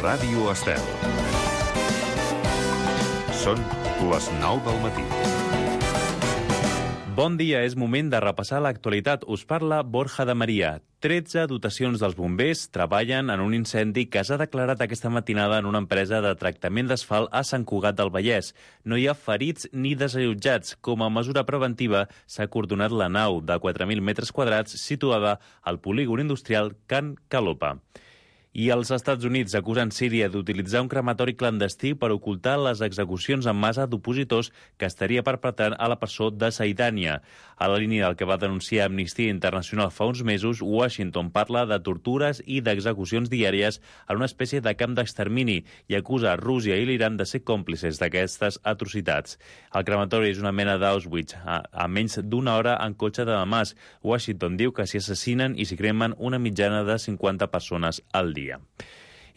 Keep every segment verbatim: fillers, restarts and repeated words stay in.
Ràdio Estel. Són les nou del matí. Bon dia, és moment de repassar l'actualitat. Us parla Borja de Maria. tretze dotacions dels bombers treballen en un incendi que s'ha declarat aquesta matinada en una empresa de tractament d'asfalt a Sant Cugat del Vallès. No hi ha ferits ni desallotjats. Com a mesura preventiva, s'ha acordonat la nau de quatre mil metres quadrats situada al polígon industrial Can Calopa. I els Estats Units acusen Síria d'utilitzar un crematori clandestí per ocultar les execucions en massa d'opositors que estaria perpetrant a la presó de Saidània. A la línia del que va denunciar Amnistia Internacional fa uns mesos, Washington parla de tortures i d'execucions diàries en una espècie de camp d'extermini i acusa Rússia i l'Iran de ser còmplices d'aquestes atrocitats. El crematori és una mena d'Auschwitz, a, a menys d'una hora en cotxe de Damasc. Washington diu que s'hi assassinen i s'hi cremen una mitjana de cinquanta persones al dia.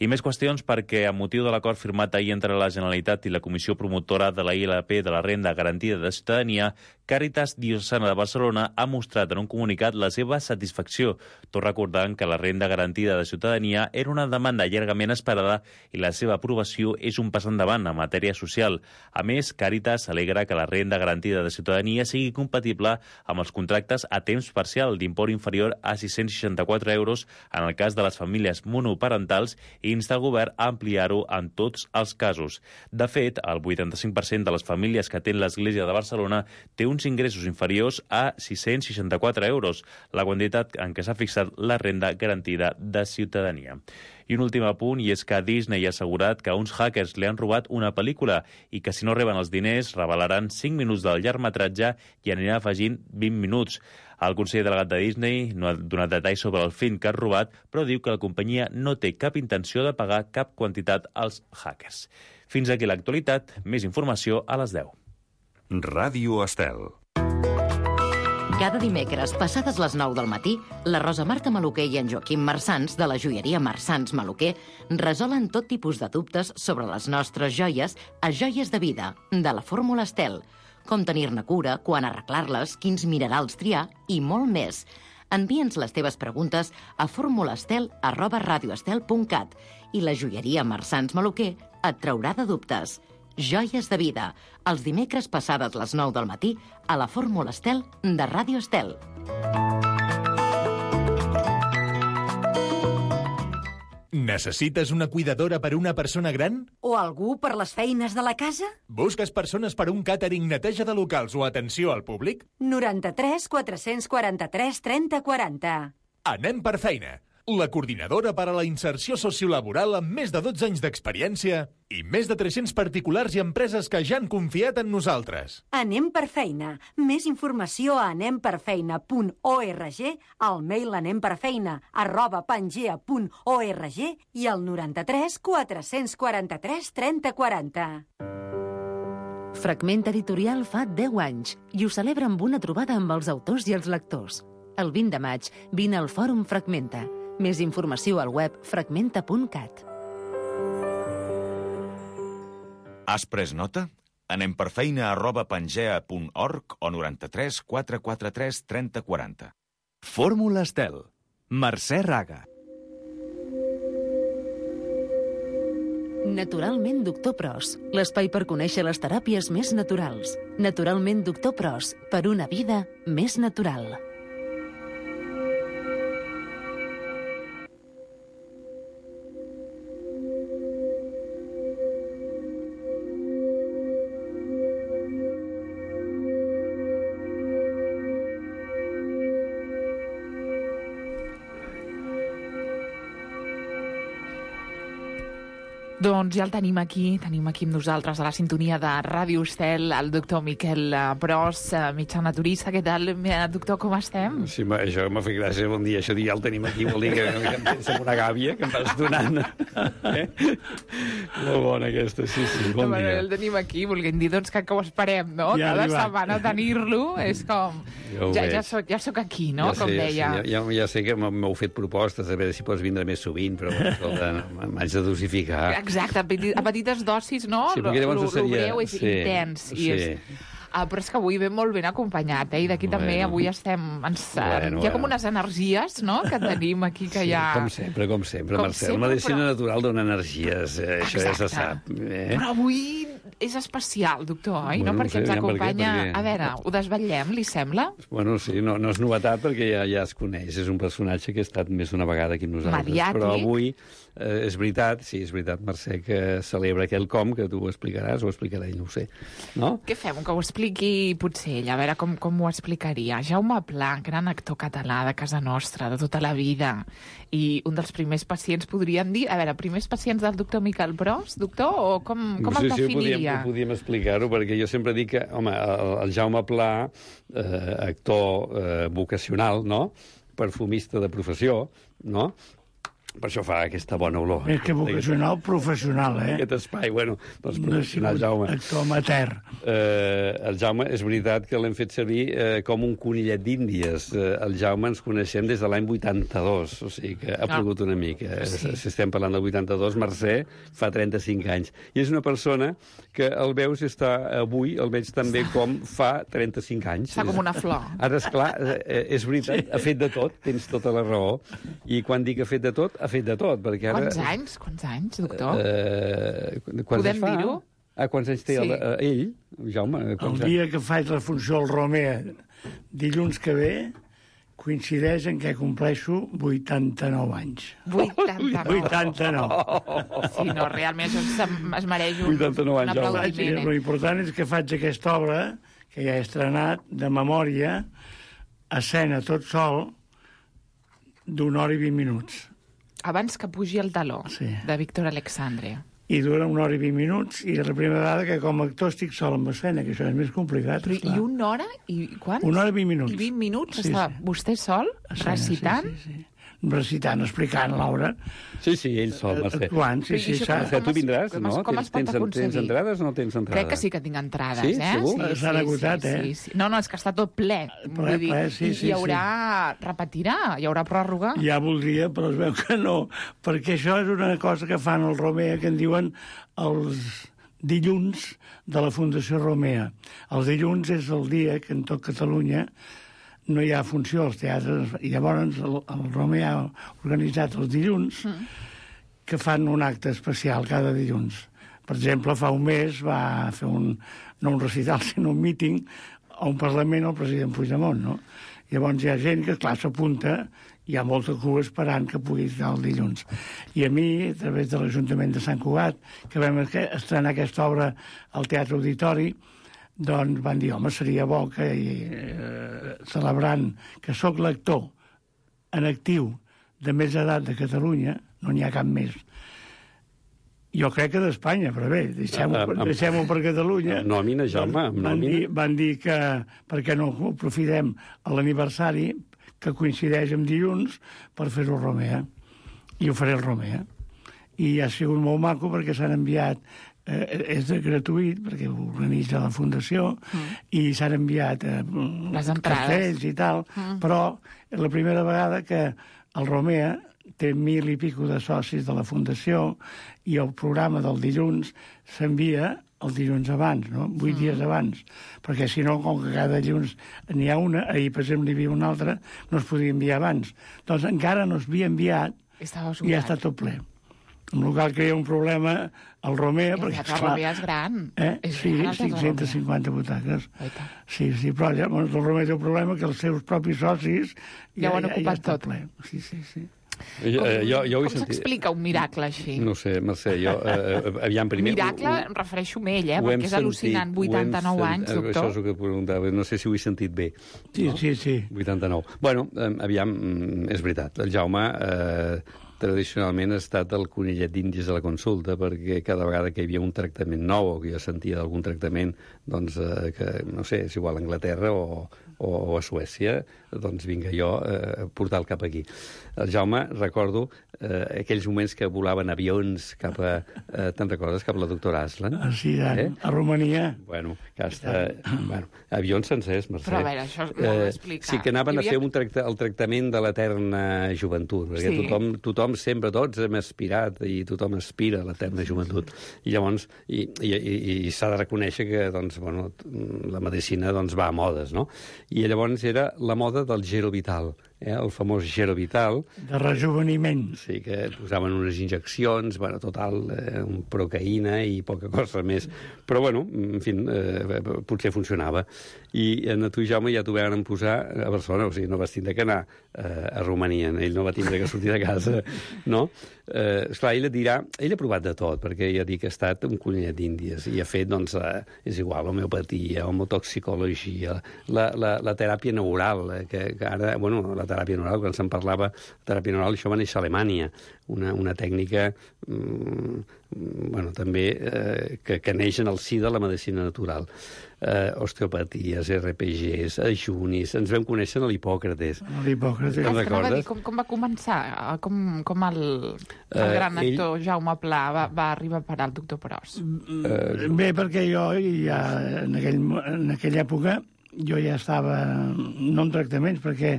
I més qüestions perquè, amb motiu de l'acord firmat ahir entre la Generalitat i la Comissió Promotora de la I L P de la Renda Garantida de Ciutadania, Càritas Diocesana de Barcelona ha mostrat en un comunicat la seva satisfacció, tot recordant que la Renda Garantida de Ciutadania era una demanda llargament esperada i la seva aprovació és un pas endavant en matèria social. A més, Càritas alegra que la Renda Garantida de Ciutadania sigui compatible amb els contractes a temps parcial d'import inferior a sis-cents seixanta-quatre euros en el cas de les famílies monoparentals i insta el govern a ampliar-ho en tots els casos. De fet, el vuitanta-cinc per cent de les famílies que atén l'Església de Barcelona té uns ingressos inferiors a sis-cents seixanta-quatre euros, la quantitat en què s'ha fixat la renda garantida de ciutadania. I un últim apunt, i és que Disney ha assegurat que uns hackers li han robat una pel·lícula i que si no reben els diners revelaran cinc minuts del llargmetratge i aniran afegint vint minuts. El conseller delegat de Disney no ha donat detalls sobre el film que ha robat, però diu que la companyia no té cap intenció de pagar cap quantitat als hackers. Fins aquí l'actualitat, més informació a les deu. Ràdio Estel. Cada dimecres, passades les nou del matí, la Rosa Marta Maluquer i en Joaquim Marsans, de la joieria Marsans Maluquer, resolen tot tipus de dubtes sobre les nostres joies a Joies de Vida, de la Fórmula Estel. Com tenir-ne cura, quan arreglar-les, quins minerals triar i molt més. Envia'ns les teves preguntes a formulastel arroba radioestel punt cat i la joieria Marsans Maluquer et traurà de dubtes. Joies de Vida, els dimecres passades les nou del matí a la Fórmula Estel de Ràdio Estel. Necessites una cuidadora per una persona gran? O algú per les feines de la casa? Busques persones per un càtering, neteja de locals o atenció al públic? noranta-tres quatre-cents quaranta-tres trenta quaranta. Anem per feina. La coordinadora per a la inserció sociolaboral amb més de dotze anys d'experiència i més de tres-cents particulars i empreses que ja han confiat en nosaltres. Anem per feina. Més informació a anem per feina punt org, al mail anemperfeina arroba pangea punt org i al noranta-tres quatre-cents quaranta-tres trenta quaranta. Fragment Editorial fa deu anys i ho celebra amb una trobada amb els autors i els lectors. El vint de maig vine al Fòrum Fragmenta. Més informació al web fragmenta punt cat. Has pres nota? Anem per feina arroba pangea punt org o noranta-tres quatre quaranta-tres trenta quaranta. Fórmula Estel. Mercè Raga. Naturalment Doctor Pros, l'espai per conèixer les teràpies més naturals. Naturalment Doctor Pros, per una vida més natural. Doncs ja el tenim aquí, tenim aquí amb nosaltres a la sintonia de Ràdio Estel, el doctor Miquel Pros, metge naturista. Què tal, doctor, com estem? Sí, això m'ha fet gràcia, bon dia. Això dir ja el tenim aquí vol dir que, que em tens amb una gàbia que em vas donant. Eh? Molt bona aquesta, sí, sí, bon no, dia. El tenim aquí, volguem dir doncs, que, que ho esperem, no? Ja Cada arribat. setmana tenir-lo és com... Ja, ja, ja, soc, ja soc aquí, no? Ja com sé, deia. Ja, ja, ja sé que m'heu fet propostes a veure si pots vindre més sovint, però escolta, m'haig de dosificar. Exacte, a, petit, a petites dosis, no? Sí, perquè llavors Lo, lo seria... greu és sí, intens. I sí. és... Ah, però és que avui ve molt ben acompanyat, eh? I d'aquí Bueno. també avui estem... Ens, Bueno, hi ha com bueno. unes energies, no?, que tenim aquí, que Sí, hi ha... com sempre, com sempre, Com Marcel. sempre, Medicina però- natural dona energies, eh, això ja se sap. Eh? Però avui és especial, doctor, oi? Bueno, no? no Perquè sé, ens aviam per què, acompanya... perquè- A veure, ho desvetllem, li sembla? Bueno, sí, no, no és novetat perquè ja, ja es coneix. És un personatge que ha estat més d'una vegada aquí amb nosaltres. Mediàtic. Però avui eh, és veritat, sí, és veritat, Mercè, que celebra aquell com, que tu ho explicaràs, ho explicarà ell, no ho sé. No? Què fem? Que ho expliqui potser ell, a veure com, com ho explicaria. Jaume Pla, gran actor català de casa nostra, de tota la vida, i un dels primers pacients, podríem dir... A veure, primers pacients del doctor Miquel Pros, doctor, o com, com sí, el sí, ho podíem, definiria? ho podíem explicar-ho, perquè jo sempre dic que, home, el, el Jaume Pla, eh, actor eh, vocacional, no?, perfumista de professió, no?, per això fa aquesta bona olor. Més que vocacional, professional, eh? Aquest espai, bueno, doncs No ha professional, sigut Jaume. actor amateur. Eh, el Jaume, és veritat que l'hem fet servir eh, com un conillet d'Índies. Eh, el Jaume ens coneixem des de l'any vuitanta-dos, o sigui que ha plogut una mica. Sí. Si estem parlant del vuitanta-dos, Mercè fa trenta-cinc anys. I és una persona que el veus i està avui, el veig també com fa trenta-cinc anys. Està com una flor. Ara, esclar, eh, és veritat, ha fet de tot, tens tota la raó. I quan dic ha fet de tot, ha fet de tot, perquè ara... Quants anys? Quants anys, doctor? Eh, quants Podem anys fa? dir-ho? Ah, quants anys té Sí. el, eh, ell, Jaume? El Quants anys? dia que faig la funció al Romea, dilluns que ve, coincideix en què compleixo vuitanta-nou anys. vuitanta-nou. vuitanta-nou. Sí, no, realment això es, es mereix un, vuitanta-nou un anys, Jaume. I aplaudiment. el eh? important és que faig aquesta obra, que ja he estrenat, de memòria, escena tot sol, d'una hora i vint minuts. Abans que pugi el taló, Sí. de Víctor Alexandre. I dura una hora i vint minuts, i és la primera vegada que com a actor estic sol amb escena, que això és més complicat. Però, esclar. I una hora? I quants? Una hora i vint minuts. I vint minuts Sí, està sí. vostè sol, Escena, recitant? Sí, sí, sí. Recitant, explicant l'obra. Sí, sí, ell sol, Mercè. Actuant, sí, Però sí, i això s'ha- Mercè, tu es- vindràs, com no? es- com es Tens, pot tens, aconseguir? tens entrades o no tens entrades? Crec que sí que tinc entrades, Sí? eh? Segur? S'han agotat, sí, eh? Sí, sí. No, no, és que està tot ple. Ple, Vull dir, ple, sí, i sí, hi haurà... Repetirà? Hi haurà pròrroga? Ja voldria, però es veu que no, perquè això és una cosa que fan el Romea, que en diuen els dilluns de la Fundació Romea. Els dilluns és el dia que en tot Catalunya no hi ha funció als teatres, i llavors el, el Romea ha organitzat els dilluns mm. que fan un acte especial cada dilluns. Per exemple, fa un mes va fer un, no un recital, sinó un míting a un Parlament al president Puigdemont, no? Llavors hi ha gent que, clar, s'apunta, hi ha molta cua esperant que pugui estar el dilluns. I a mi, a través de l'Ajuntament de Sant Cugat, que vam estrenar aquesta obra al Teatre Auditori, doncs van dir, home, seria bo que, eh, celebrant que sóc l'actor en actiu de més edat de Catalunya, no n'hi ha cap més, jo crec que d'Espanya, però bé, deixem-ho Amb- amb- deixem per Catalunya. Amb nòmina, Jaume, amb van, nòmina. dir, van dir que per què no ho aprofitem a l'aniversari, que coincideix amb dilluns, per fer-ho al Romea. I ho faré al Romea. I ha sigut molt maco perquè s'han enviat, eh, és de gratuït, perquè ho organitza la Fundació, mm. i s'han enviat eh, Les entrades. cartells i tal, mm. però és la primera vegada que el Romea té mil i pico de socis de la Fundació i el programa del dilluns s'envia el dilluns abans, no? Vuit mm. dies abans. Perquè si no, com que cada dilluns n'hi ha una, ahir, per exemple, n'hi havia una altra, no es podia enviar abans. Doncs encara no es havia enviat Estava i ja està tot ple. En local que hi ha un problema al Romea, El perquè, Teatre Romea és gran. Eh? És Sí, gran, el Teatre cinc-centes cinquanta butaques. Oi tant. Sí, sí, però ja, bueno, el Romea té un problema que els seus propis socis Ja ho han ja, ja ocupat està tot. ple. Sí, sí, sí. Jo, eh, jo, jo ho he Com sentit... s'explica un miracle així? No sé, Mercè, jo... Eh, aviam, primer... Miracle, em refereixo a ell, eh? ho hem Perquè és al·lucinant. sentit, ho hem vuitanta-nou sent- anys, Això doctor. és el que et preguntava, no sé si ho he sentit bé. Sí, sí, sí. vuitanta-nou. Bueno, eh, aviam, mm, és veritat. El Jaume eh, tradicionalment ha estat el conillet d'Índies de la consulta, perquè cada vegada que hi havia un tractament nou o que jo sentia d'algun tractament, doncs, eh, que, no sé, és igual a Anglaterra o, o, o a Suècia, doncs vinga jo a eh, portar el cap aquí. El Jaume, recordo eh, aquells moments que volaven avions cap a... Eh, te'n recordes? Cap a la doctora Aslan? Ah, sí, eh? a Romania. Bueno, que hasta... bueno, avions sencers, Mercè. Però a veure, això m'ho heu d'explicar. Sí, que anaven havia... a fer un tracta, el tractament de l'eterna joventut, perquè sí. tothom, tothom sempre, tots hem aspirat i tothom aspira a l'eterna joventut. I llavors, i, i, i, i s'ha de reconèixer que doncs, bueno, la medicina doncs, va a modes, no? I llavors era la moda del Gero Vital, eh? El famós Gero Vital. De rejuveniment. Sí, que posaven unes injeccions, bueno, total, eh, un procaïna i poca cosa més. Però, bueno, en fi, eh, potser funcionava. I a tu, Jaume, ja t'ho van posar a Barcelona, o sigui, no vas tindre que anar eh, a Romania, ell no va tindre que sortir de casa, no? Eh, esclar, ell et dirà, ell ha provat de tot, perquè ja dic que ha estat un collet d'Índies, i ha fet, doncs, eh, és igual, homeopatia, homotoxicologia, la, la, la teràpia neural, eh, que, que ara, bueno, la teràpia neural, quan se'n parlava, teràpia neural, això va néixer a Alemanya, una, una tècnica, mm, bueno, també, eh, que, que neix en el si de la medicina natural. Eh, osteopaties, R P Gs, ajunis, ens vam conèixer a l'Hipòcrates. A l'Hipòcrates. Te'n recordes? Com, com va començar? Com, com el, el gran uh, ell... actor Jaume Pla va, va arribar a parar el doctor Pros? Uh, Bé, perquè jo ja en, aquell, en aquella època jo ja estava, no en tractaments, perquè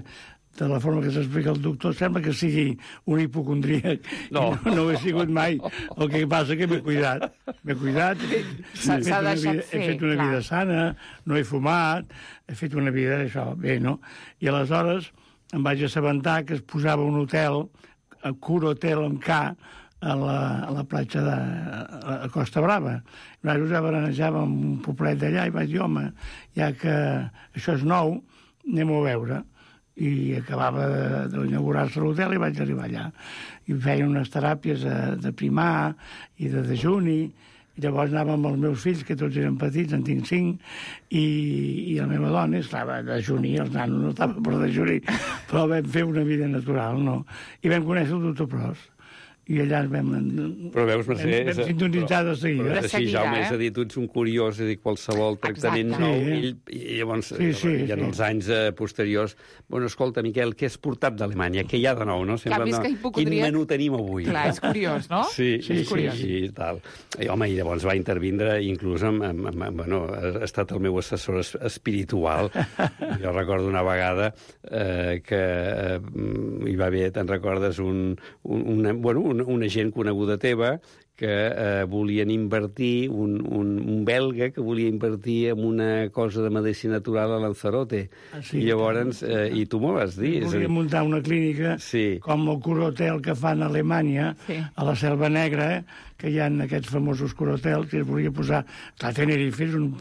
de la forma que s'explica el doctor, sembla que sigui un hipocondríac. No. No, no ho he sigut mai. El que passa que m'he cuidat. M'he cuidat, he, S'ha fet una deixat vida, fer, he fet una clar. vida sana, no he fumat, he fet una vida, això, bé, no? I aleshores em vaig assabentar que es posava un hotel, a Cura Hotel amb K, a la, a la platja de a Costa Brava. Nosaltres ja baranejàvem un poblet d'allà i vaig dir, home, ja que això és nou, anem-ho a veure. I acabava d'inaugurar-se l'hotel i vaig arribar allà. I feien unes teràpies de, de primar i de dejuni, i llavors anàvem amb els meus fills, que tots eren petits, en tinc cinc, i, i la meva dona estava a dejuni, els nanos no estaven per dejuni, però vam fer una vida natural, no? I vam conèixer el doctor Pros. I allà ens vam... Però veus, Mercè... Vam, vam sintonitzar de seguida. Però, De així, seguida, Jaume, eh? és a dir, tu ets un curiós, és a dir, qualsevol tractament Exacte. nou, Sí, eh? ell, i llavors, Sí, sí, i en sí. els anys eh, posteriors, bueno, escolta, Miquel, què has portat d'Alemanya? Què hi ha de nou, no? Sembla, més no? que hipocondríac- Quin menú tenim avui? Clar, és curiós, no? Sí, Sí, sí, és curiós. sí, i tal. I, home, i llavors va intervindre, inclús, amb, amb, amb, amb, bueno, ha estat el meu assessor es- espiritual. Jo recordo una vegada eh, que eh, hi va haver, te'n recordes, un, un, una, bueno, una, una gent coneguda teva que eh, volien invertir, un, un, un belga que volia invertir en una cosa de medicina natural a Lanzarote. Ah, sí? I llavors, eh, i tu m'ho vas dir. és a Volia dir, muntar una clínica Sí. com el Cura-Hotel que fan a Alemanya, Sí. a la Selva Negra, eh, que hi ha aquests famosos Cura-Hotels, que es volia posar... Clar, Tenerife és un,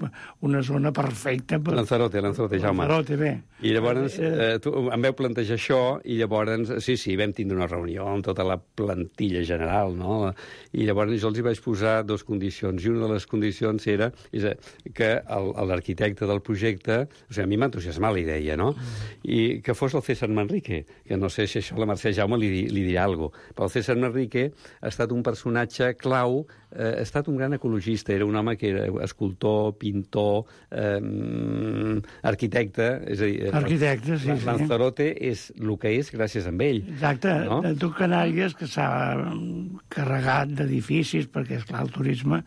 una zona perfecta per... Lanzarote, Lanzarote, Jaume. Lanzarote, bé. I llavors eh, tu, em veu plantejar això i llavors, sí, sí, vam tindre una reunió amb tota la plantilla general, no? I llavors jo els hi vaig posar dues condicions, i una de les condicions era és a, que el- l'arquitecte del projecte, o sigui, a mi m'entusiasmava la idea, no? I que fos el César Manrique, que no sé si això la Mercè Jaume li, di- li dirà alguna cosa, però el César Manrique ha estat un personatge clau, eh, ha estat un gran ecologista, era un home que era escultor, pintor, eh, arquitecte, és a dir... eh, Arquitecte, sí, sí. Lanzarote és el que és gràcies a ell. Exacte, No? no? tu Canàries, que s'ha mm, carregat d'edificis, perquè, esclar, el turisme...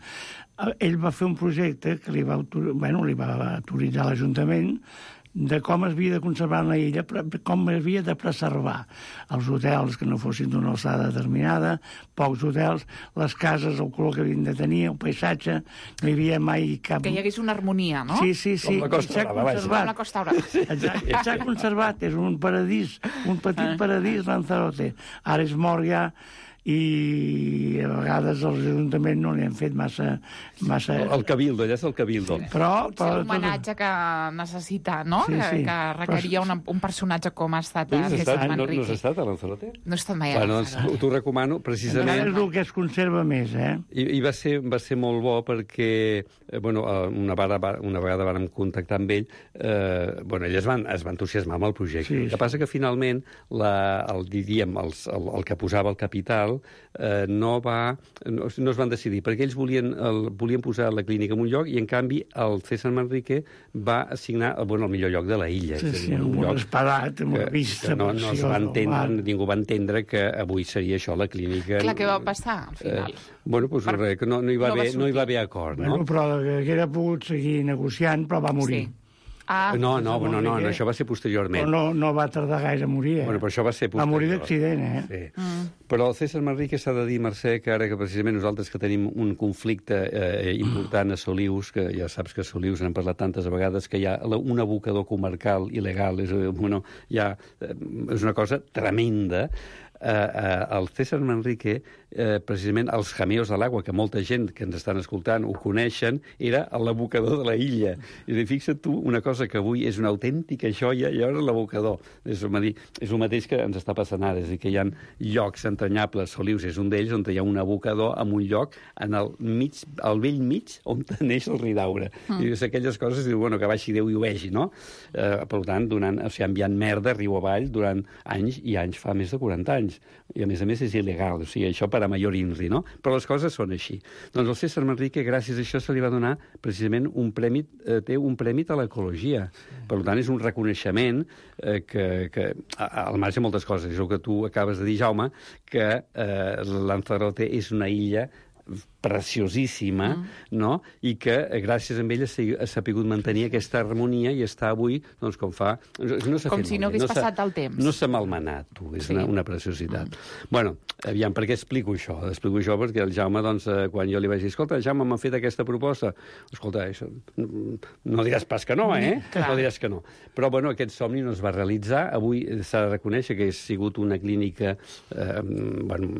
eh, Ell va fer un projecte que li va, autor... bueno, li va autoritzar l'Ajuntament de com es havia de conservar una illa, però com havia de preservar els hotels que no fossin d'una alçada determinada, pocs hotels, les cases, el color que havien de tenir, el paisatge, no hi havia mai cap... Que hi hagués una harmonia, no? Sí, sí, sí. Com la Costa s'ha Brava, vaja. Com conservat. la Costa Brava. Exacte, s'ha conservat, és un paradís, un petit paradís, Lanzarote. Ara és mort ja, i a vegades els ajuntaments no li han fet massa... massa... El Cabildo, allà és el Cabildo. Però... Potser però l'homenatge que necessita, no? Sí, sí. Que, que requeria una, un personatge com ha estat Tu el has César estat, no, no Manrique. has estat a Lanzarote? No he estat mai a Bueno, doncs Lanzarote. t'ho recomano, Ara precisament... és el que es conserva més, eh? I, i va, ser, va ser molt bo perquè eh, bueno, eh, una, vegada, una vegada vàrem contactar amb ell, eh, bueno, ell es va, es va entusiasmar amb el projecte. Sí, El que sí. passa que finalment la, el, diríem, els, el, el que posava el capital Mundial eh, no, va, no, no es van decidir, perquè ells volien, el, volien posar la clínica en un lloc i, en canvi, el César Manrique va assignar bueno, el millor lloc de la illa. Sí, és sí, dir, un un lloc esperat, amb una vista no, no es va entendre, ningú va entendre que avui seria això la clínica. Clar, què va passar, al final? Eh, bueno, doncs per... res, que no, no, hi va no, haver, no hi va haver acord, bueno, no? Però que haguera pogut seguir negociant, però va morir. Sí. Ah, no, no, no, no, no, això va ser posteriorment. Però no, no va tardar gaire a morir, eh? Bueno, però això va ser posterior. Va morir d'accident, eh? Sí. Mm. Però el César Manrique s'ha de dir, Mercè, que ara que precisament nosaltres que tenim un conflicte eh, important a Solius, que ja saps que a Solius n'hem parlat tantes vegades, que hi ha un abocador comarcal il·legal, és, bueno, ja, és una cosa tremenda. Eh, eh, el César Manrique, eh, precisament els jameos de l'aigua, que molta gent que ens estan escoltant ho coneixen, era l'abocador de la illa. I dir, fixa't tu, una cosa que avui és una autèntica joia, i ara l'abocador. És, és el mateix que ens està passant ara, és a dir, que hi ha llocs entranyables, Solius és un d'ells, on hi ha un abocador en un lloc, en el mig, al vell mig, on neix el Ridaura. Mm. I és aquelles coses, diu, bueno, que baixi Déu i ho vegi, no? Eh, per tant, donant, o sigui, enviant merda riu avall durant anys i anys, fa més de quaranta anys. I, a més a més, és il·legal, o sigui, això per a major inri, no? Però les coses són així. Doncs el César Manrique, gràcies a això, se li va donar precisament un premi, eh, té un premi a l'ecologia. Sí. Per tant, és un reconeixement eh, que, que, al marge de moltes coses, és el que tu acabes de dir, Jaume, que eh, Lanzarote és una illa preciosíssima, mm. no? I que gràcies a ell ha sapigut mantenir aquesta harmonia i està avui, doncs, com fa... No com si no hagués no passat el temps. No s'ha malmenat, tu, és sí. una, una preciositat. Mm. Bueno, aviam, per què explico això? Explico això perquè el Jaume, doncs, quan jo li vaig dir, escolta, Jaume, m'ha fet aquesta proposta. Escolta, això, no diràs pas que no, eh? Clar. No diràs que no. Però, bueno, aquest somni no es va realitzar. Avui s'ha de reconèixer que ha sigut una clínica, eh, bueno,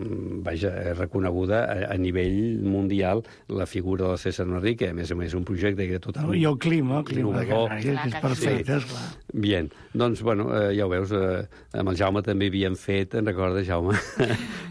vaja, reconeguda a, a nivell mundial, la figura del César Manrique, a més a més un projecte que era totalment... I el clima, el clima de Canàries, que és perfecte, sí. Esclar. Bien, doncs, bueno, eh, ja ho veus, eh, amb el Jaume també havíem fet, en recordes, Jaume,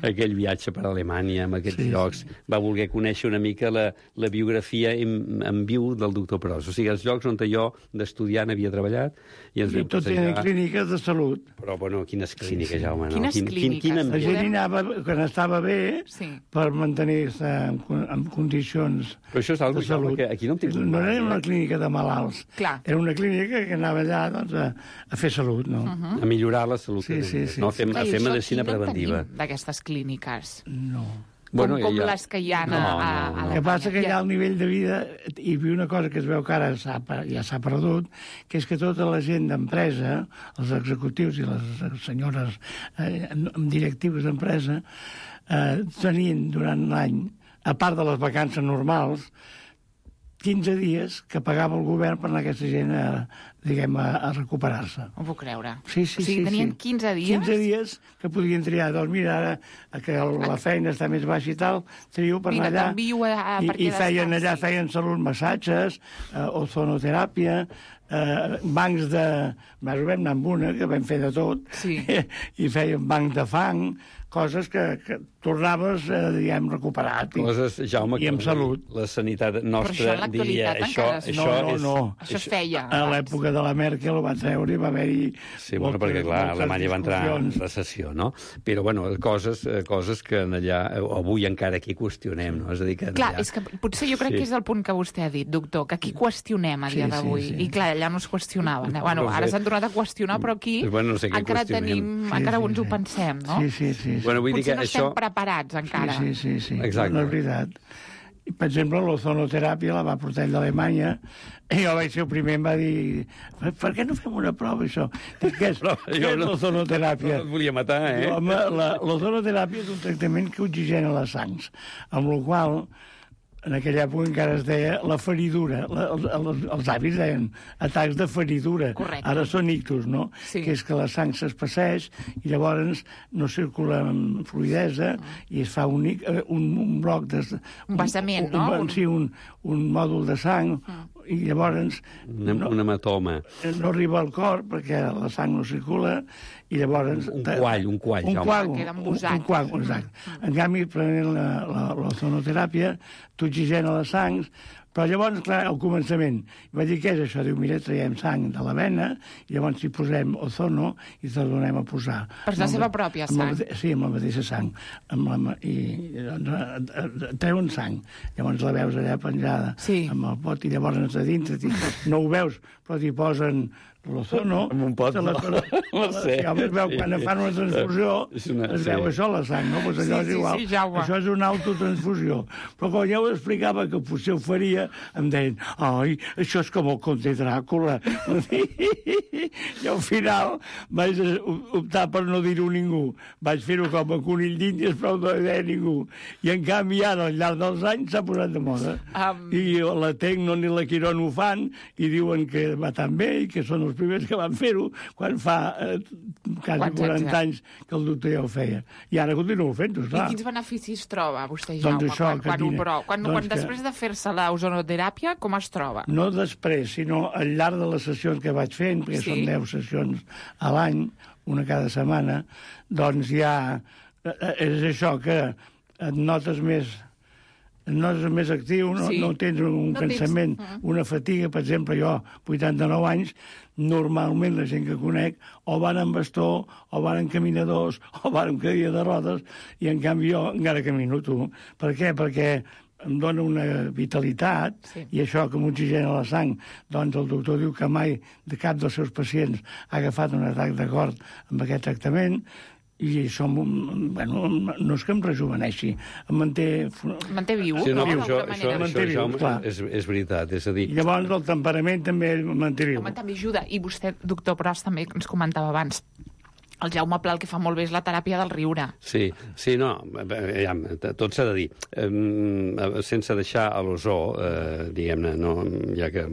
aquell viatge per Alemanya, amb aquests sí, llocs, sí. Va voler conèixer una mica la, la biografia en, en viu del doctor Pros, o sigui, els llocs on jo d'estudiant havia treballat, i ens I tot tenen clíniques de salut. Però, bueno, quines clíniques, sí, sí. Jaume, no? Quines quin, clíniques? Quin, quin la gent hi anava quan estava bé sí. per mantenir-se en, en condicions Però això és algo, de salut. Jaume, que aquí no hem tingut no mai, era una eh? clínica de malalts. Clar. Era una clínica que anava allà doncs, a, a fer salut, no? Uh -huh. A millorar la salut. Sí, sí, sí. No? A fer, a fer medicina preventiva. D'aquestes clíniques. No. Bueno, com com ja... les que hi ha no, a, a, no, a no. El que passa que ja el nivell de vida, hi havia una cosa que es veu que ara ja s'ha perdut, que és que tota la gent d'empresa, els executius i les senyores eh, directius d'empresa, eh, tenien durant l'any, a part de les vacances normals, quinze dies que pagava el govern per anar aquesta gent a, diguem, a, a recuperar-se. Ho puc creure. Sí, sí, o sigui, sí, tenien sí. quinze dies? quinze dies que podien triar. Doncs mira, ara que la feina està més baixa i tal, trio per mira, anar allà. A, a, I, i feien allà, feien salut, massatges, eh, ozonoteràpia, eh, bancs de... Més o menys anar amb una, que vam fer de tot, sí. i feien bancs de fang, coses que, que tornaves, eh, diguem, recuperat. I, coses, Jaume, i amb salut. La sanitat nostra això diria... Això, això, això, no, no, és, no. Això es feia. A l'època de la Merkel ho va treure i va haver-hi... Sí, bueno, perquè, clar, Alemanya va entrar en recessió, no? Però, bueno, coses, coses que allà, avui encara aquí qüestionem, no? És a dir, que clar, allà... és que potser jo crec sí. que és el punt que vostè ha dit, doctor, que aquí qüestionem a dia sí, d'avui. Sí, sí. I, clar, allà no es qüestionaven. Eh? Bueno, no ara sé. s'han tornat a qüestionar, però aquí bueno, no sé encara tenim... Sí, encara sí, ens ho sí. pensem, no? Sí, sí, sí. sí. Bueno, vull potser dir que no estem això... preparats encara. Sí, sí, sí. sí. Exacte. No és veritat. I, per exemple, l'ozonoteràpia la va portar ell d'Alemanya i jo vaig ser el primer em va dir per què no fem una prova, això? Dic, què és, què és no, l'ozonoteràpia? No et volia matar, eh? Home, l'ozonoteràpia és un tractament que oxigena les sangs, amb la qual en aquella època encara es deia la feridura. La, els, els, els avis deien atacs de feridura. Correcte. Ara són ictus, no? Sí. Que és que la sang s'espesseix i llavors no circula amb fluidesa i es fa un, un, un bloc de... Un vessament, un, no? Un, sí, un, un mòdul de sang mm. i llavors... Un, no, un hematoma. No arriba al cor perquè la sang no circula i llavors... Un, un quall, un quall. Un quall, un, un, un quall, exacte. Mm. En canvi, prenent l'ozonoteràpia, t'oxigena les sangs, Però llavors, clar, al començament, vaig dir, què és això? Diu, mira, traiem sang de la vena, i llavors hi posem ozono i te la donem a posar. Però és la seva pròpia sang? Amb la, sí, amb la mateixa sang. Amb la, I doncs, treuen sang. Llavors la veus allà penjada sí. amb el pot, i llavors a dintre no ho veus, però t'hi posen l'ozono, amb un pot, la, la, la, la, sí, home, es veu, quan fan una transfusió una, es veu sí. això, la sang, no? Pues allò sí, és igual. Sí, sí, Jaume. Això és una autotransfusió. Però quan ja ho explicava que potser ho faria, em deien, ai, això és com el conte Dràcula. I al final vaig optar per no dir-ho a ningú. Vaig fer-ho com a conill d'Índies, però no hi deia ningú. I en canvi ara, al llarg dels anys, s'ha posat de moda. Um... I la Tecno ni la Quirón ho fan, i diuen que va tan bé, i que són els primers que van fer-ho, quan fa eh, quasi quaranta anys que el doctor ja ho feia. I ara continuo fent-ho, clar. I quins beneficis troba vostè, Jaume, doncs això, quan, quan, ho prou? Quan, doncs quan que... després de fer-se la ozonoteràpia, com es troba? No després, sinó al llarg de les sessions que vaig fent, perquè sí? són deu sessions a l'any, una cada setmana, doncs ja és això que et notes més no és més actiu, no, sí. no tens un no cansament, tens... una fatiga. Per exemple, jo, vuitanta-nou anys, normalment la gent que conec o van en bastó, o van en caminadors, o van en cadira de rodes, i en canvi jo encara camino, tu. Per què? Perquè em dona una vitalitat, sí. i això que m'oxigena la sang, doncs el doctor diu que mai de cap dels seus pacients ha agafat un atac de cor amb aquest tractament, i això, bueno, no és que em rejuveneixi, em manté... Manté viu, sí, no? no? Això, això, això, viu, això és, és veritat, és a dir... Llavors el temperament també manté viu. Home, també ajuda. I vostè, doctor Pros, també ens comentava abans, el Jaume Pla el que fa molt bé és la teràpia del riure. Sí, sí, no, ja, tot s'ha de dir. Eh, sense deixar a l'ozó, eh, diguem-ne, no, ja que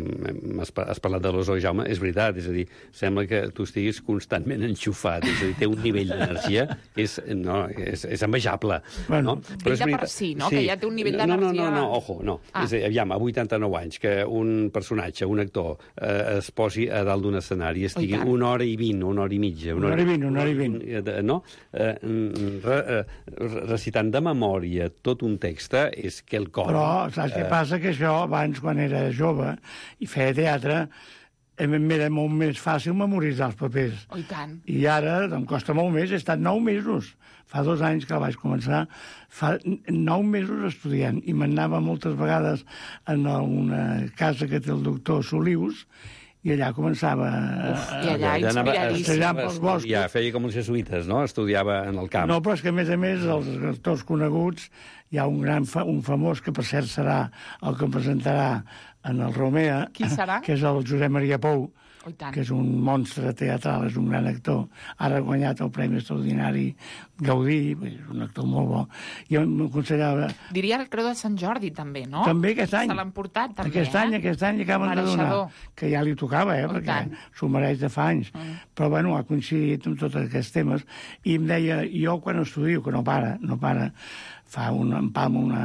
has, has parlat de l'ozó, Jaume, és veritat, és a dir, sembla que tu estiguis constantment enxufat, és a dir, té un nivell d'energia que és, no, és, és envejable. Bueno, no? Però és de per si, no? Sí. Que ja té un nivell d'energia... No, no, no, no, ojo, no. Ah. És a dir, aviam, a vuitanta-nou anys, que un personatge, un actor, eh, es posi a dalt d'un escenari i estigui oh, una hora i vint, una hora i mitja... Una hora i vint, una hora i vint. No? Eh, re, recitant de memòria tot un text és que el cor... Però saps què eh... passa? Que això, abans, quan era jove i feia teatre, m'era molt més fàcil memoritzar els papers. Oh, i tant. I ara em costa molt més, he estat nou mesos. Fa dos anys que vaig començar, fa nou mesos estudiant, i m'anava moltes vegades en una casa que té el doctor Solius, i allà començava... Uf, I allà inspiradíssim. Pels boscos. Ja feia com uns jesuïtes, no? Estudiava en el camp. No, però és que, a més a més, els actors coneguts, hi ha un gran fa, un famós, que per cert serà el que em presentarà en el Romea. Qui serà? Que és el Josep Maria Pou, oh, que és un monstre teatral, és un gran actor. Ara ha guanyat el Premi Extraordinari Gaudí, és un actor molt bo. Jo m'aconsellava... Diria el Creu de Sant Jordi, també, no? També aquest any. Se l'han portat, també, aquest eh? any, aquest any acaben de donar. Que ja li tocava, eh? Oh, perquè s'ho mereix de fa anys. Mm. Però, bueno, ha coincidit amb tots aquests temes. I em deia, jo quan estudio, que no para, no para, fa un empam una,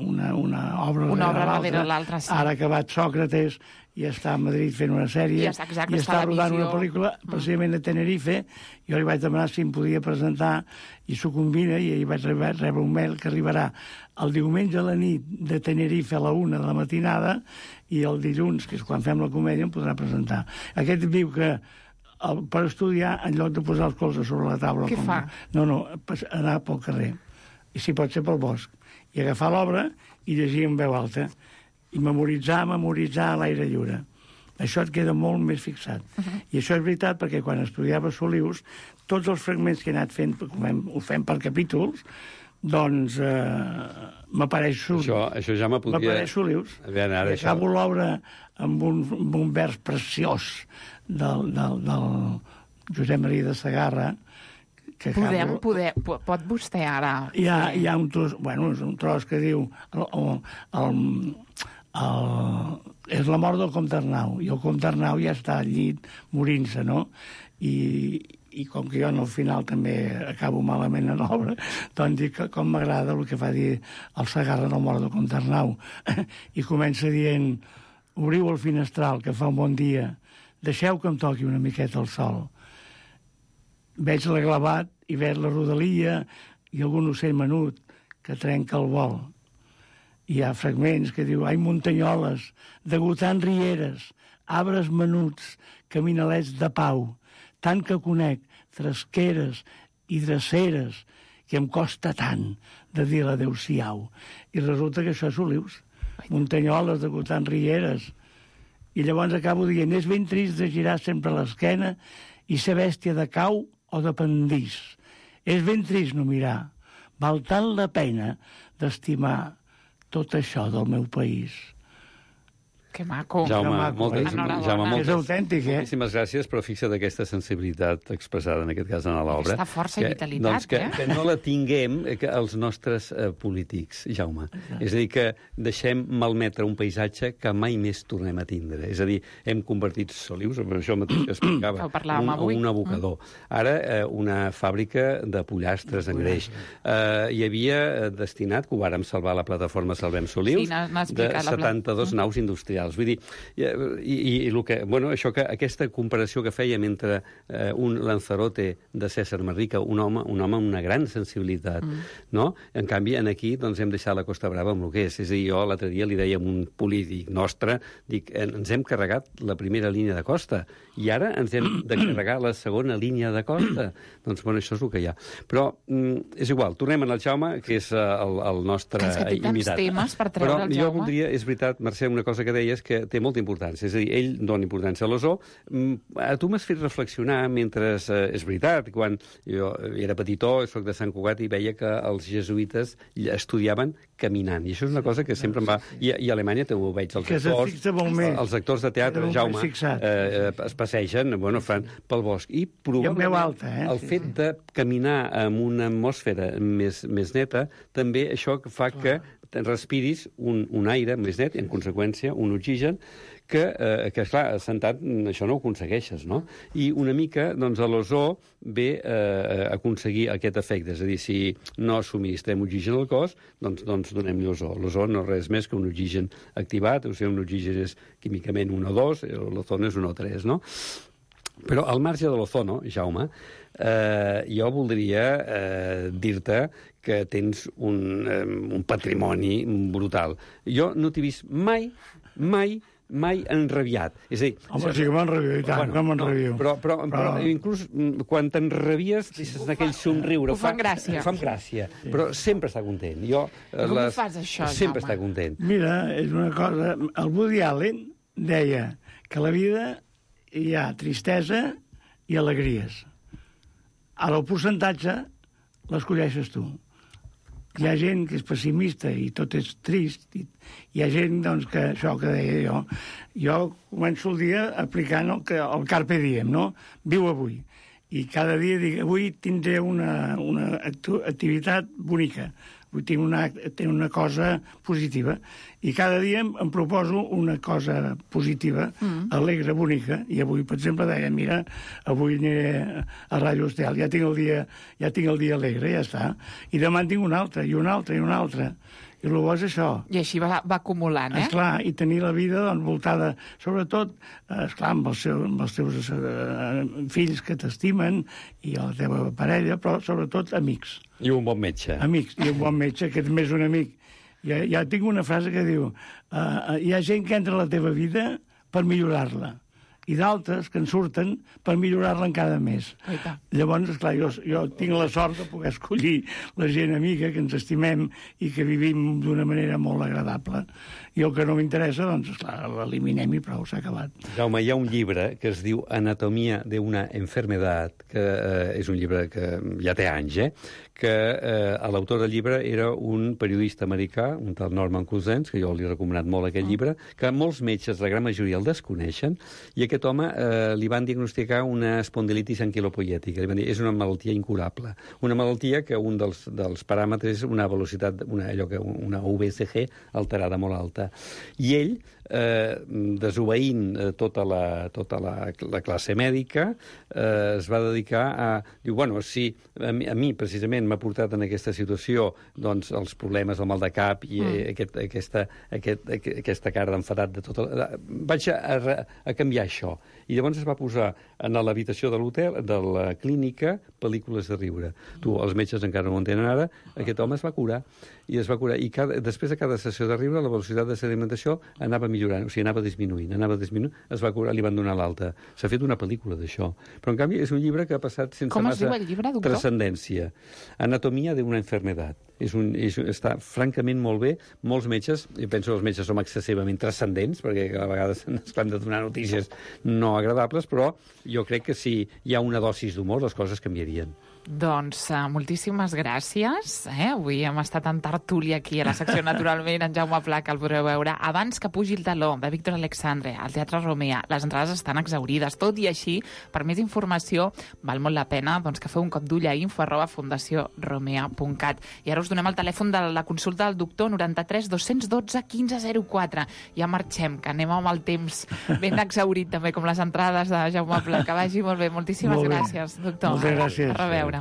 una, una obra una obra darrere l'altra, sí. Ara ha acabat Sòcrates i està a Madrid fent una sèrie, I està, exacte, i està, està rodant visió. una pel·lícula precisament a Tenerife. Jo li vaig demanar si em podia presentar i s'ho combina, i ahir vaig rebre, rebre un mail que arribarà el diumenge a la nit de Tenerife a la una de la matinada, i el dilluns, que és quan fem la comèdia, em podrà presentar. Aquest diu que el, per estudiar, en lloc de posar els colzes sobre la taula... Què com, fa? No, no, anar pel carrer, i si pot ser pel bosc, i agafar l'obra i llegir en veu alta, i memoritzar, memoritzar a l'aire lliure. Això et queda molt més fixat. Uh -huh. I això és veritat, perquè quan estudiava Solius, tots els fragments que he anat fent, com ho fem per capítols, doncs eh, m'apareix Solius. Això, això ja m'apodia... M'apareix Solius. Veure, ara, I acabo això... l'obra amb un, amb un vers preciós del, del, del Josep Maria de Segarra, que Podem, acabo... poder, pot vostè ara... Hi ha, hi ha un tros, bueno, és un tros que diu el, el, el, el, és la mort del comte Arnau, i el comte Arnau ja està al llit morint-se, no? I, i com que jo al final també acabo malament en l'obra, doncs dic que com m'agrada el que fa dir el Segarra del mort del comte Arnau. I comença dient: obriu el finestral, que fa un bon dia, deixeu que em toqui una miqueta el sol. Veig l'aglavat i veig la rodalia i algun ocell menut que trenca el vol. hi ha fragments que diu «Ai, muntanyoles, degotant rieres, arbres menuts, caminalets de pau, tant que conec, tresqueres i dreceres, que em costa tant de dir l'adeu-siau». I resulta que això és Olius. Muntanyoles, degotant rieres. I llavors acabo dient «És ben trist de girar sempre l'esquena i ser bèstia de cau o de pendís. És ben trist no mirar. Val tant la pena d'estimar tot això del meu país». Que maco. Jaume, Que maco, moltes, Enhorabona. Jaume, moltes, És autèntic, eh? moltíssimes gràcies, però fixa't aquesta sensibilitat expressada, en aquest cas, en l'obra. Aquesta força i que, vitalitat, doncs, que, eh? que no la tinguem eh, que els nostres eh, polítics, Jaume. És a dir, que deixem malmetre un paisatge que mai més tornem a tindre. És a dir, hem convertit Solius, per això mateix que explicava, Que ho parlàvem un, avui. un abocador. Ara, eh, una fàbrica de pollastres en greix. Eh, hi havia eh, destinat, que ho vàrem salvar a la plataforma Salvem Solius, Sí, n'ha- n'ha de explicat la pla- setanta-dos naus industrials. Vull dir, i, i, i el que, bueno, això que, aquesta comparació que fèiem entre eh, un Lanzarote de César Manrique, un home, un home amb una gran sensibilitat, mm. no? En canvi, en aquí doncs, hem deixat la Costa Brava amb el que és. És a dir, jo l'altre dia li deia a un polític nostre, dic, ens hem carregat la primera línia de costa i ara ens hem de carregar la segona línia de costa. Doncs, bueno, això és el que hi ha. Però mm, és igual, tornem al Jaume, que és uh, el, el nostre Que és que té tants invitat. temes per treure Però el jo Jaume. voldria, és veritat, Mercè, una cosa que deies que té molta importància. És a dir, ell dona importància a l'ozó. Mm, A tu m'has fet reflexionar mentre... Eh, és veritat, quan jo era petitó, soc de Sant Cugat, i veia que els jesuïtes estudiaven caminant. I això és una cosa que sempre em va... I, i a Alemanya també ho veig. Els Que se actors, fixa molt més. els actors de teatre, Era molt Jaume, més fixat. eh, es passegen, bueno, fan pel bosc. I probablement veu alta, eh? el Sí, fet de caminar en una atmosfera més, més neta, també això fa que respiris un, un aire més net, i en conseqüència un oxigen, que, eh, que esclar, sentat això no ho aconsegueixes, no? I una mica, doncs, a l'ozó ve eh, a aconseguir aquest efecte. És a dir, si no subministrem oxigen al cos, doncs, doncs donem-li ozó. L'ozó no és res més que un oxigen activat, o sigui, un oxigen és químicament un o dos, l'ozono és un o tres, no? Però al marge de l'ozono, Jaume, eh, jo voldria eh, dir-te que tens un, eh, un patrimoni brutal. Jo no t'he vist mai, mai, mai enrabiat. És a dir... Home, sí que m'enrabio, i tant, bueno, que m'enrabio. No, però, però, però, Però- però inclús mm, quan t'enrabies, deixes aquell somriure. ho fa gràcia. Ho fa gràcia, sí. Però sempre està content. Jo, eh, Com ho fas, això, sempre Jaume? està content. Mira, és una cosa... El Woody Allen deia que a la vida hi ha tristesa i alegries. Ara, el percentatge l'escolleixes tu. Hi ha gent que és pessimista i tot és trist. I hi ha gent, doncs, que això que deia jo... Jo començo el dia aplicant el, que, el Carpe Diem, no? Viu avui. I cada dia dic, avui tindré una, una actu activitat bonica. Avui tinc una, tinc una cosa positiva. I cada dia em, em proposo una cosa positiva, mm. alegre, bonica. I avui, per exemple, deia, mira, avui aniré a Ràdio Estel, ja tinc el dia, ja tinc el dia alegre, ja està. I demà en tinc un altre, i un altre, i un altre. I el bo és això. I així va, va acumulant, eh? Esclar, i tenir la vida doncs, voltada, sobretot, eh, esclar, amb els, seu, amb els teus eh, fills que t'estimen i la teva parella, però sobretot amics. I un bon metge. Amics, i un bon metge, que és més un amic. Ja, ja tinc una frase que diu uh, hi ha gent que entra a la teva vida per millorar-la, i d'altres que en surten per millorar-la encara més. Oita. Llavors, esclar, jo, jo tinc la sort de poder escollir la gent amiga que ens estimem i que vivim d'una manera molt agradable. I el que no m'interessa, doncs, esclar, l'eliminem i prou, s'ha acabat. Jaume, hi ha un llibre que es diu Anatomia de una enfermedad, que eh, és un llibre que ja té anys, eh? que eh, l'autor del llibre era un periodista americà, un tal Norman Cousins, que jo li he recomanat molt aquest llibre, que molts metges, la gran majoria, el desconeixen, i aquest home eh, li van diagnosticar una espondilitis anquilopoiètica. Li van dir, és una malaltia incurable. Una malaltia que un dels, dels paràmetres és una velocitat, una, allò que, una U V C G alterada molt alta. I ell, eh, desobeint eh, tota, la, tota la, la classe mèdica, eh, es va dedicar a... Diu, bueno, si a mi, a mi precisament m'ha portat en aquesta situació doncs, els problemes del mal de cap i mm. aquest, aquesta, aquest, aquesta cara d'enfadat de tota... Vaig a, a, a canviar això. això. I llavors es va posar a l'habitació de l'hotel, de la clínica, pel·lícules de riure. Tu, els metges encara no ho entenen ara, aquest home es va curar, i es va curar. I cada, després de cada sessió de riure, la velocitat de sedimentació anava millorant, o sigui, anava disminuint, anava disminuint, es va curar, li van donar l'alta. S'ha fet una pel·lícula d'això. Però, en canvi, és un llibre que ha passat sense Com massa es diu el llibre, doctor? transcendència. Anatomia d'una enfermedad. És un, és, està francament molt bé. Molts metges, jo penso que els metges som excessivament transcendents, perquè a vegades ens han de donar notícies no agradables, però jo crec que si hi ha una dosis d'humor, les coses canviarien. Doncs uh, moltíssimes gràcies. Eh? Avui hem estat en tertúlia aquí a la secció Naturalment, en Jaume Pla, que el podreu veure abans que pugi el taló, de Víctor Alexandre, al Teatre Romea. Les entrades estan exaurides. Tot i així, per més informació, val molt la pena doncs, que feu un cop d'ull a info arroba fundació romea punt cat. I ara us donem el telèfon de la consulta del doctor, noranta-tres dos cents dotze quinze zero quatre. Ja marxem, que anem amb el temps ben exaurit, també, com les entrades de Jaume Pla. Que vagi molt bé. Moltíssimes molt bé. gràcies, doctor. Moltes gràcies. A reveure.